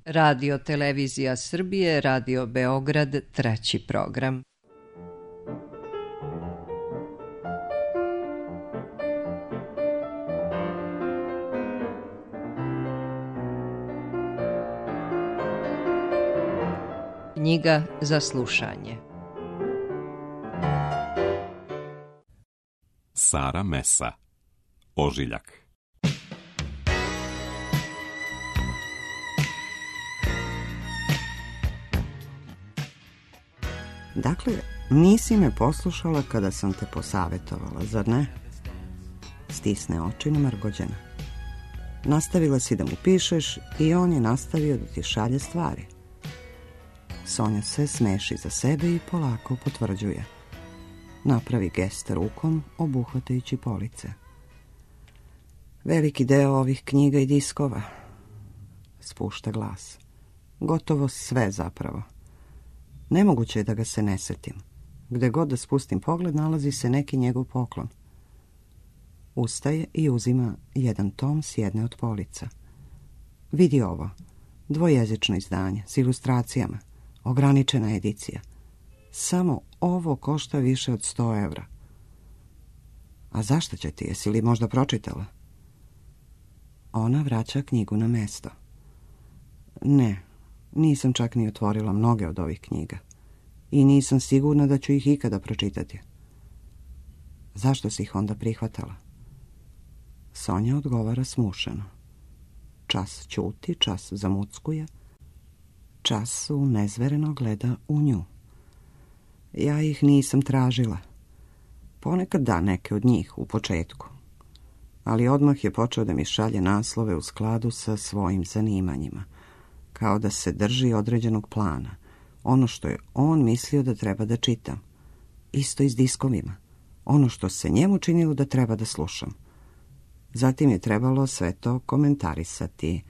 Radio Televizija Srbije, Radio Beograd, treći program. Knjiga za slušanje. Sara Mesa, Ožiljak. Dakle, nisi me poslušala kada sam te posavetovala, zar ne? Stisne oči namrgođena. Nastavila si da mu pišeš i on je nastavio da ti šalje stvari. Sonja se smeši za sebe i polako potvrđuje. Napravi gest rukom, obuhvatajući police. Veliki deo ovih knjiga i diskova. Spušta glas. Gotovo sve zapravo. Nemoguće je da ga se ne setim. Gde god da spustim pogled, nalazi se neki njegov poklon. Ustaje i uzima jedan tom s jedne od polica. Vidi ovo. Dvojezično izdanje, s ilustracijama. Ograničena edicija. Samo ovo košta više od 100 evra. A zašto će ti? Jesi li možda pročitala? Ona vraća knjigu na mesto. Ne, nisam čak ni otvorila mnoge od ovih knjiga. I nisam sigurna da ću ih ikada pročitati. Zašto si ih onda prihvatala? Sonja odgovara smušeno. Čas ćuti, čas zamuckuje, čas unezvereno gleda u nju. Ja ih nisam tražila. Ponekad da neke od njih u početku. Ali odmah je počeo da mi šalje naslove u skladu sa svojim zanimanjima. Kao da se drži određenog plana. Ono što je on mislio da treba da čitam. Isto i s diskovima. Ono što se njemu činilo da treba da slušam. Zatim je trebalo sve to komentarisati.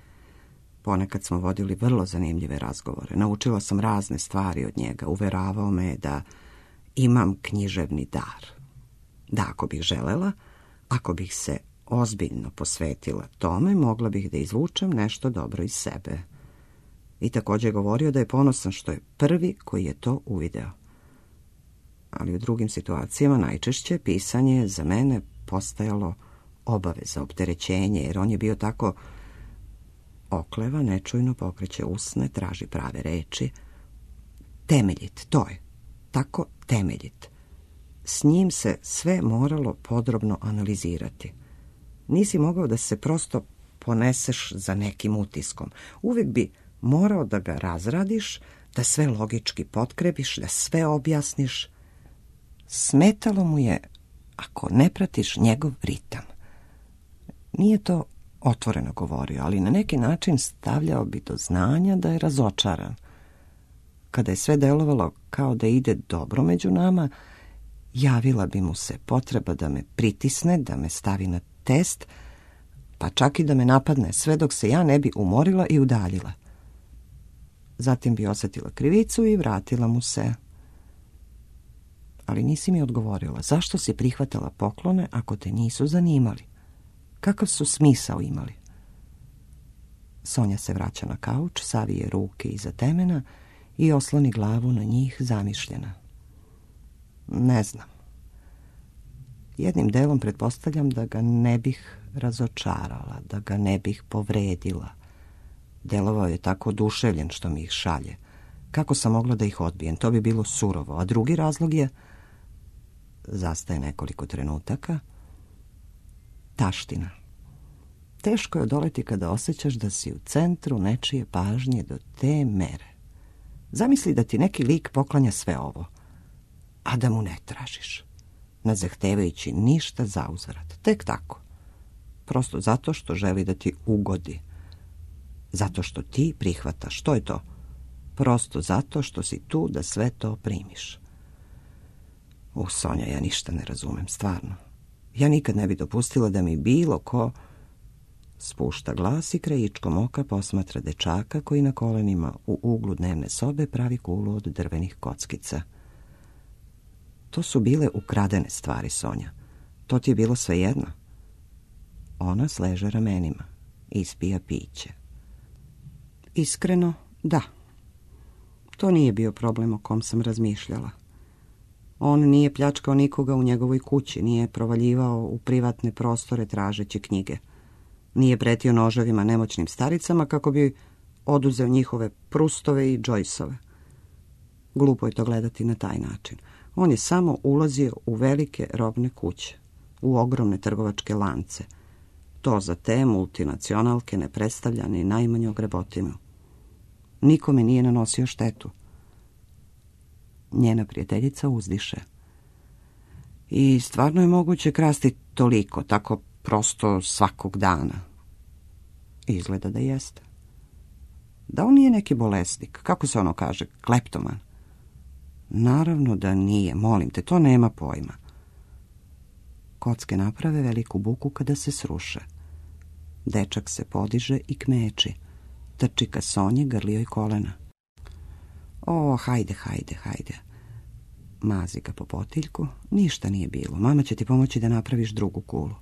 Ponekad smo vodili vrlo zanimljive razgovore. Naučila sam razne stvari od njega. Uveravao me da imam književni dar. Da ako bih želela, ako bih se ozbiljno posvetila tome, mogla bih da izvučem nešto dobro iz sebe. I također je govorio da je ponosan što je prvi koji je to uvideo. Ali u drugim situacijama najčešće pisanje je za mene postajalo obaveza, opterećenje, jer on je bio tako okleva, nečujno pokreće usne, traži prave reči. Temeljit, to je. Tako temeljit. S njim se sve moralo podrobno analizirati. Nisi mogao da se prosto poneseš za nekim utiskom. Uvijek bi morao da ga razradiš, da sve logički potkrepiš, da sve objasniš. Smetalo mu je ako ne pratiš njegov ritam. Nije to otvoreno govorio, ali na neki način stavljao bi do znanja da je razočaran. Kada je sve delovalo kao da ide dobro među nama, javila bi mu se potreba da me pritisne, da me stavi na test, pa čak i da me napadne, sve dok se ja ne bi umorila i udaljila. Zatim bi osjetila krivicu i vratila mu se. Ali nisi mi odgovorila, zašto si prihvatala poklone ako te nisu zanimali? Kakav su smisao imali? Sonja se vraća na kauč, savije ruke iza temena i osloni glavu na njih zamišljena. Ne znam. Jednim delom pretpostavljam da ga ne bih razočarala, da ga ne bih povredila. Delovao je tako oduševljen što mi ih šalje. Kako sam mogla da ih odbijem? To bi bilo surovo. A drugi razlog je... Zastaje nekoliko trenutaka. Taština. Teško je odoleti kada osjećaš da si u centru nečije pažnje do te mere. Zamisli da ti neki lik poklanja sve ovo, a da mu ne tražiš, ne zahtevajući ništa za uzvrat. Tek tako. Prosto zato što želi da ti ugodi. Zato što ti prihvataš. Što je to? Prosto zato što si tu da sve to primiš. Sonja, ja ništa ne razumem, stvarno. Ja nikad ne bi dopustila da mi bilo ko... Spušta glas i krajičkom oka posmatra dečaka koji na kolenima u uglu dnevne sobe pravi kulu od drvenih kockica. To su bile ukradene stvari, Sonja. To ti je bilo svejedno. Ona sleže ramenima, ispija piće. Iskreno, da. To nije bio problem o kom sam razmišljala. On nije pljačkao nikoga u njegovoj kući, nije provaljivao u privatne prostore tražeći knjige. Nije pretio noževima nemoćnim staricama kako bi oduzeo njihove Prustove i Joyceove. Glupo je to gledati na taj način. On je samo ulazio u velike robne kuće, u ogromne trgovačke lance. To za te multinacionalke ne predstavlja ni najmanju grebotinu. Nikome nije nanosio štetu. Njena prijateljica uzdiše. I stvarno je moguće krasti toliko, tako prosto svakog dana. Izgleda da jeste. Da on nije neki bolesnik, kako se ono kaže, kleptoman? Naravno da nije, molim te, to nema pojma. Kocke naprave veliku buku kada se sruše. Dečak se podiže i kmeči. Trči ka Sonji, grli joj kolena. O, hajde. Mazi ga po potiljku. Ništa nije bilo. Mama će ti pomoći da napraviš drugu kulu.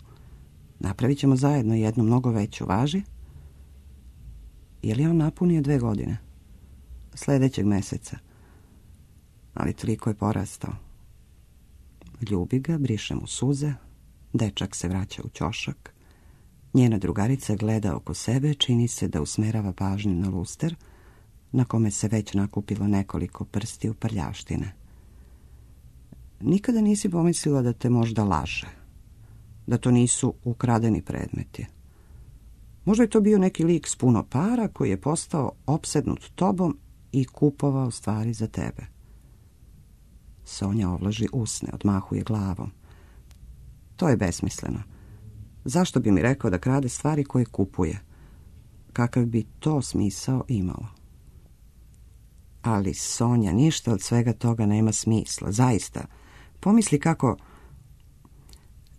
Napravit ćemo zajedno jednu mnogo veću, važi? Je li on napunio 2 godine? Sljedećeg meseca. Ali toliko je porastao. Ljubi ga, briše mu suze. Dečak se vraća u ćošak. Njena drugarica gleda oko sebe, čini se da usmerava pažnju na luster, na kome se već nakupilo nekoliko prstiju prljavštine. Nikada nisi pomislila da te možda laže, da to nisu ukradeni predmeti. Možda je to bio neki lik s puno para koji je postao opsednut tobom i kupovao stvari za tebe. Sonja ovlaži usne, odmahuje glavom. To je besmisleno. Zašto bi mi rekao da krade stvari koje kupuje? Kakav bi to smisao imalo? Ali, Sonja, ništa od svega toga nema smisla, zaista. Pomisli kako...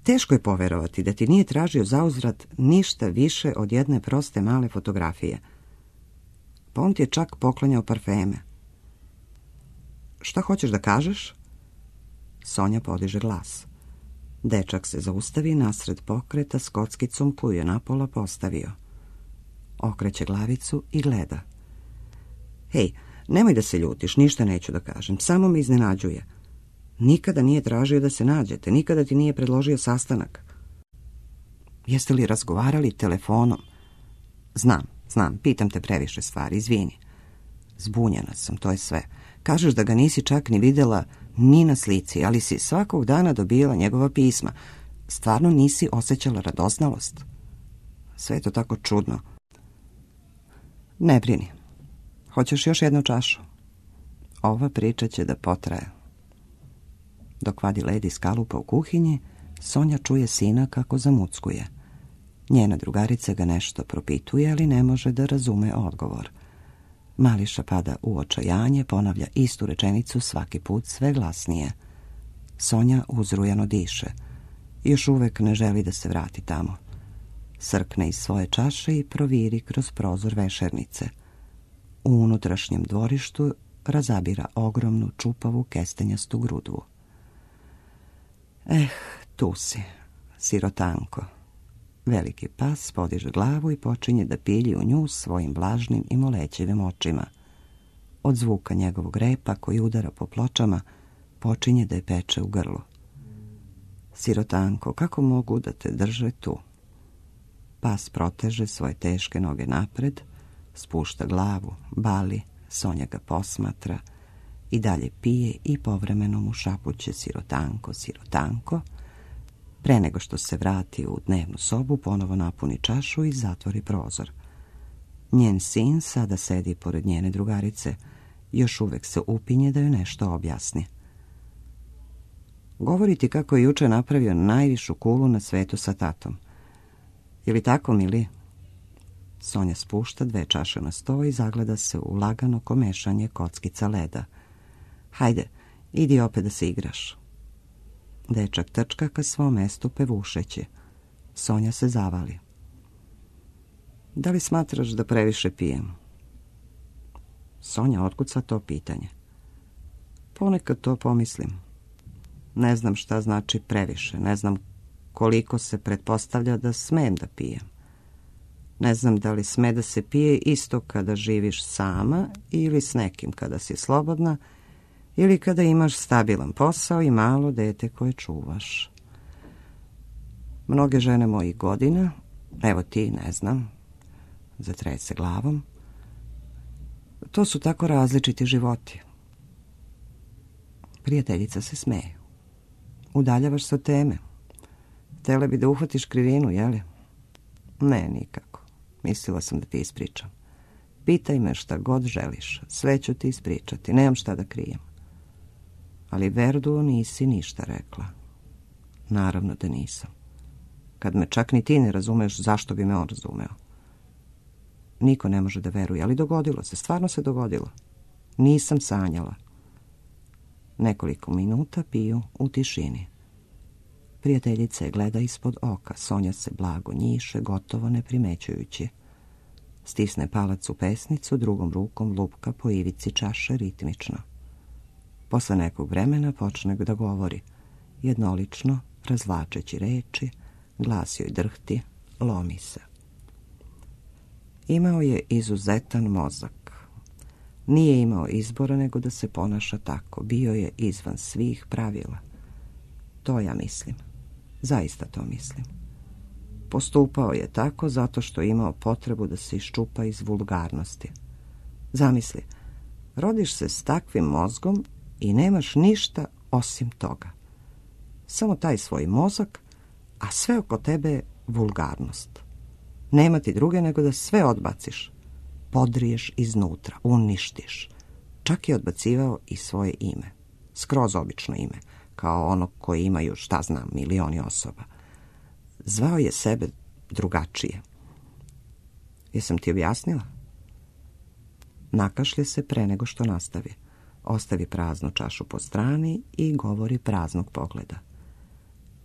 Teško je poverovati da ti nije tražio zauzvrat ništa više od jedne proste male fotografije. Pa on ti je čak poklanjao parfeme. Šta hoćeš da kažeš? Sonja podiže glas. Dečak se zaustavi nasred pokreta s kockicom koju je napola postavio. Okreće glavicu i gleda. Hej, nemoj da se ljutiš, ništa neću da kažem, samo me iznenađuje. Nikada nije tražio da se nađete, nikada ti nije predložio sastanak. Jeste li razgovarali telefonom? Znam, pitam te previše stvari, izvini. Zbunjena sam, to je sve. Kažeš da ga nisi čak ni vidjela ni na slici, ali si svakog dana dobijala njegova pisma. Stvarno nisi osjećala radoznalost? Sve je to tako čudno. Ne brini. Hoćeš još jednu čašu? Ova priča će da potraje. Dok vadi led iz kalupa u kuhinji, Sonja čuje sina kako zamuckuje. Njena drugarica ga nešto propituje, ali ne može da razume odgovor. Mališa pada u očajanje, ponavlja istu rečenicu svaki put sve glasnije. Sonja uzrujano diše. Još uvek ne želi da se vrati tamo. Srkne iz svoje čaše i proviri kroz prozor vešernice. U unutrašnjem dvorištu razabira ogromnu čupavu kestenjastu grudvu. Tu si, sirotanko. Veliki pas podiže glavu i počinje da pilji u nju svojim vlažnim i molećivim očima. Od zvuka njegovog repa koji udara po pločama počinje da je peče u grlu. Sirotanko, kako mogu da te drže tu? Pas proteže svoje teške noge napred, spušta glavu, bali, Sonja ga posmatra i dalje pije i povremeno mu šapuće sirotanko, sirotanko. Pre nego što se vrati u dnevnu sobu, ponovo napuni čašu i zatvori prozor. Njen sin sada sedi pored njene drugarice, još uvek se upinje da joj nešto objasni. Govori ti kako je juče napravio najvišu kulu na svetu sa tatom. Je li tako, mili? Sonja spušta 2 čaše na sto i zagleda se u lagano komešanje kockica leda. Hajde, idi opet da se igraš. Dečak trčka ka svom mestu pevušeći. Sonja se zavali. Da li smatraš da previše pijem? Sonja otkuca to pitanje. Ponekad to pomislim. Ne znam šta znači previše, ne znam koliko se pretpostavlja da smem da pijem. Ne znam da li sme da se pije isto kada živiš sama ili s nekim kada si slobodna ili kada imaš stabilan posao i malo dete koje čuvaš. Mnoge žene mojih godina, evo ti, ne znam, zatreje se glavom, to su tako različiti životi. Prijateljica se smeje. Udaljavaš se od teme. Htjela bi da uhvatiš krivinu, jeli? Ne, nikako. Mislila sam da ti ispričam. Pitaj me šta god želiš. Sve ću ti ispričati. Nemam šta da krijem. Ali Verdu nisi ništa rekla. Naravno da nisam. Kad me čak ni ti ne razumeš, zašto bi me on razumeo? Niko ne može da veruje, ali dogodilo se. Stvarno se dogodilo. Nisam sanjala. Nekoliko minuta piju u tišini. Prijateljica je gleda ispod oka. Sonja se blago njiše, gotovo ne primećujući. Stisne palac u pesnicu, drugom rukom lupka po ivici čaše ritmično. Posle nekog vremena počne da govori. Jednolično, razvlačeći reči, glas joj drhti, lomi se. Imao je izuzetan mozak. Nije imao izbora nego da se ponaša tako. Bio je izvan svih pravila. To ja mislim. Zaista to mislim. Postupao je tako zato što je imao potrebu da se iščupa iz vulgarnosti. Zamisli, rodiš se s takvim mozgom i nemaš ništa osim toga. Samo taj svoj mozak, a sve oko tebe je vulgarnost. Nema ti druge nego da sve odbaciš. Podriješ iznutra, uništiš. Čak je odbacivao i svoje ime. Skroz obično ime, kao ono koje imaju, šta znam, milioni osoba. Zvao je sebe drugačije. Jesam ti objasnila? Nakašlje se pre nego što nastavi. Ostavi praznu čašu po strani i govori praznog pogleda.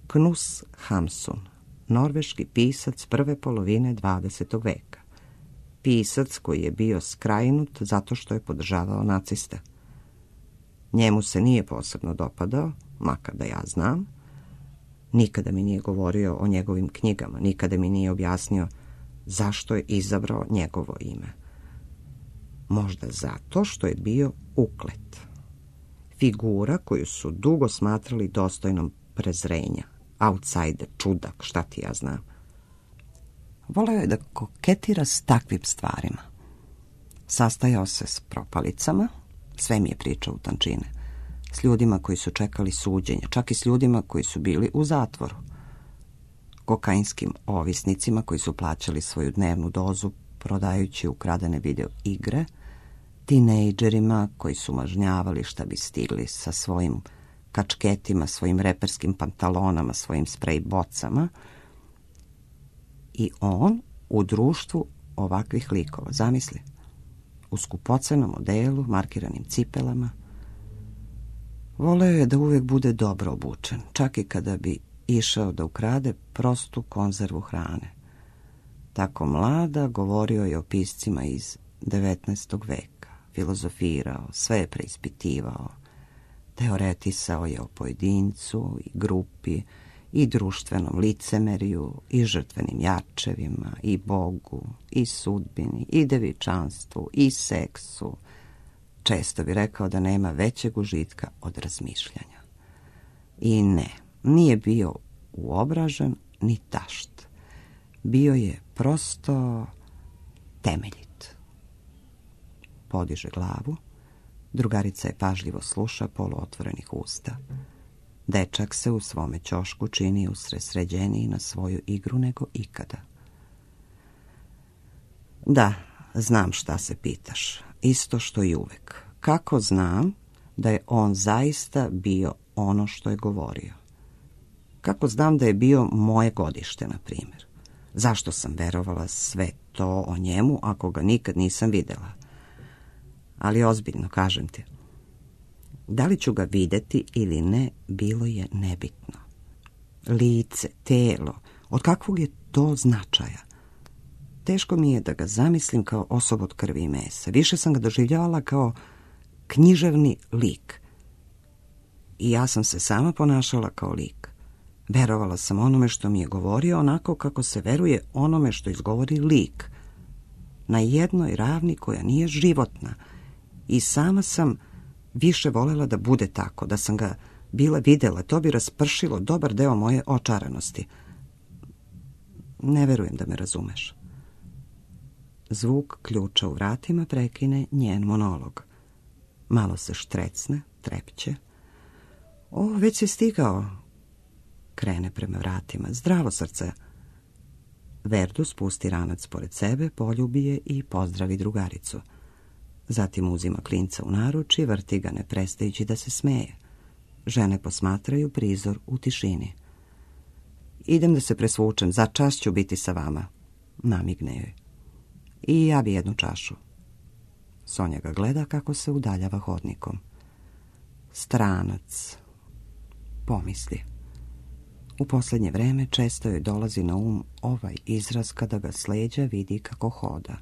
Knus Hamsun, norveški pisac prve polovine 20. veka. Pisac koji je bio skrajnut zato što je podržavao naciste. Njemu se nije posebno dopadao, makar da ja znam. Nikada mi nije govorio o njegovim knjigama, nikada mi nije objasnio zašto je izabrao njegovo ime. Možda zato što je bio uklet. Figura koju su dugo smatrali dostojnom prezrenja. Outsider, čudak, šta ti ja znam. Voleo je da koketira s takvim stvarima. Sastajao se s propalicama, sve mi je pričao u tančine, s ljudima koji su čekali suđenje, čak i s ljudima koji su bili u zatvoru, kokainskim ovisnicima koji su plaćali svoju dnevnu dozu prodajući ukradene video igre, tinejdžerima koji su mažnjavali šta bi stigli sa svojim kačketima, svojim reperskim pantalonama, svojim sprej bocama. I on u društvu ovakvih likova, zamisli, u skupocenom odelu, markiranim cipelama. Voleo je da uvek bude dobro obučen, čak i kada bi išao da ukrade prostu konzervu hrane. Tako mlada govorio je o piscima iz 19. veka, filozofirao, sve je preispitivao, teoretisao je o pojedincu i grupi, i društvenom licemerju, i žrtvenim jačevima, i Bogu, i sudbini, i devičanstvu, i seksu. Često bi rekao da nema većeg užitka od razmišljanja. I ne, nije bio uobražen ni tašt. Bio je prosto temeljit. Podiže glavu, drugarica je pažljivo sluša poluotvorenih usta. Dečak se u svome ćošku čini usredsređeniji na svoju igru nego ikada. Da, znam šta se pitaš, isto što i uvek. Kako znam da je on zaista bio ono što je govorio? Kako znam da je bio moje godište, na primjer? Zašto sam verovala sve to o njemu ako ga nikad nisam videla? Ali ozbiljno, kažem ti, da li ću ga videti ili ne, bilo je nebitno. Lice, telo, od kakvog je to značaja? Teško mi je da ga zamislim kao osobu od krvi i mesa. Više sam ga doživljavala kao književni lik. I ja sam se sama ponašala kao lik. Verovala sam onome što mi je govorio onako kako se veruje onome što izgovori lik, na jednoj ravni koja nije životna, i sama sam više volela da bude tako, da sam ga bila videla, to bi raspršilo dobar deo moje očaranosti. Ne verujem da me razumeš. Zvuk ključa u vratima prekine njen monolog. Malo se štrecne, trepće. O, već si stigao. Krene prema vratima. Zdravo, srce. Verdu spusti ranac pored sebe, poljubi je i pozdravi drugaricu. Zatim uzima klinca u naruč i vrti ga, ne prestajući da se smeje. Žene posmatraju prizor u tišini. Idem da se presvučem, za čas ću biti sa vama, namigne joj. I ja bi jednu čašu. Sonja ga gleda kako se udaljava hodnikom. Stranac, pomisli. U posljednje vreme često joj dolazi na ovaj izraz kada ga s leđa vidi kako hoda.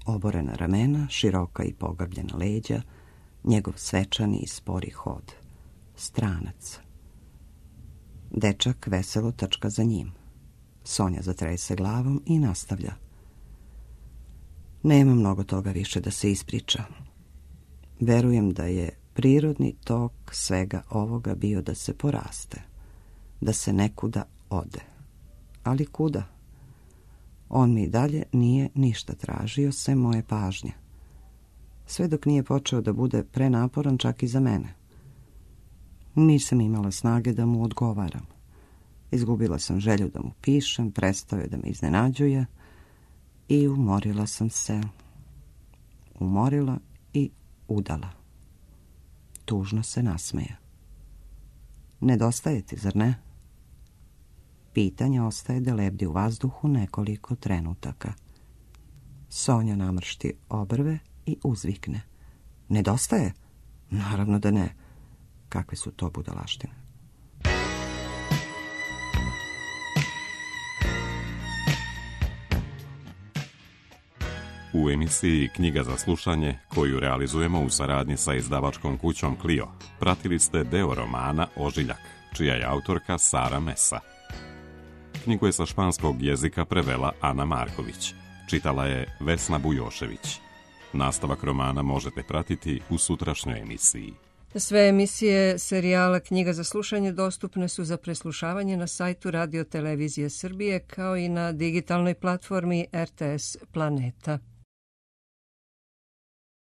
Oborena ramena, široka i pogrbljena leđa, njegov svečani i spori hod. Stranac. Dečak veselo trčka za njim. Sonja zatrese glavom i nastavlja. Nema mnogo toga više da se ispriča. Verujem da je prirodni tok svega ovoga bio da se poraste, da se nekuda ode. Ali kuda? On mi dalje nije ništa tražio, sem moje pažnje. Sve dok nije počeo da bude prenaporan čak i za mene. Nisam imala snage da mu odgovaram. Izgubila sam želju da mu pišem, prestao je da me iznenađuje i umorila sam se. Umorila i udala. Tužno se nasmeja. Nedostaje ti, zar ne? Pitanje ostaje da lebdi u vazduhu nekoliko trenutaka. Sonja namršti obrve i uzvikne. Nedostaje? Naravno da ne. Kakve su to budalaštine? U emisiji Knjiga za slušanje, koju realizujemo u saradnji sa izdavačkom kućom Clio, pratili ste deo romana Ožiljak, čija je autorka Sara Mesa. Knjigu je sa španskog jezika prevela Ana Marković. Čitala je Vesna Bujošević. Nastavak romana možete pratiti u sutrašnjoj emisiji. Sve emisije serijala Knjiga za slušanje dostupne su za preslušavanje na sajtu Radio Televizije Srbije kao i na digitalnoj platformi RTS Planeta.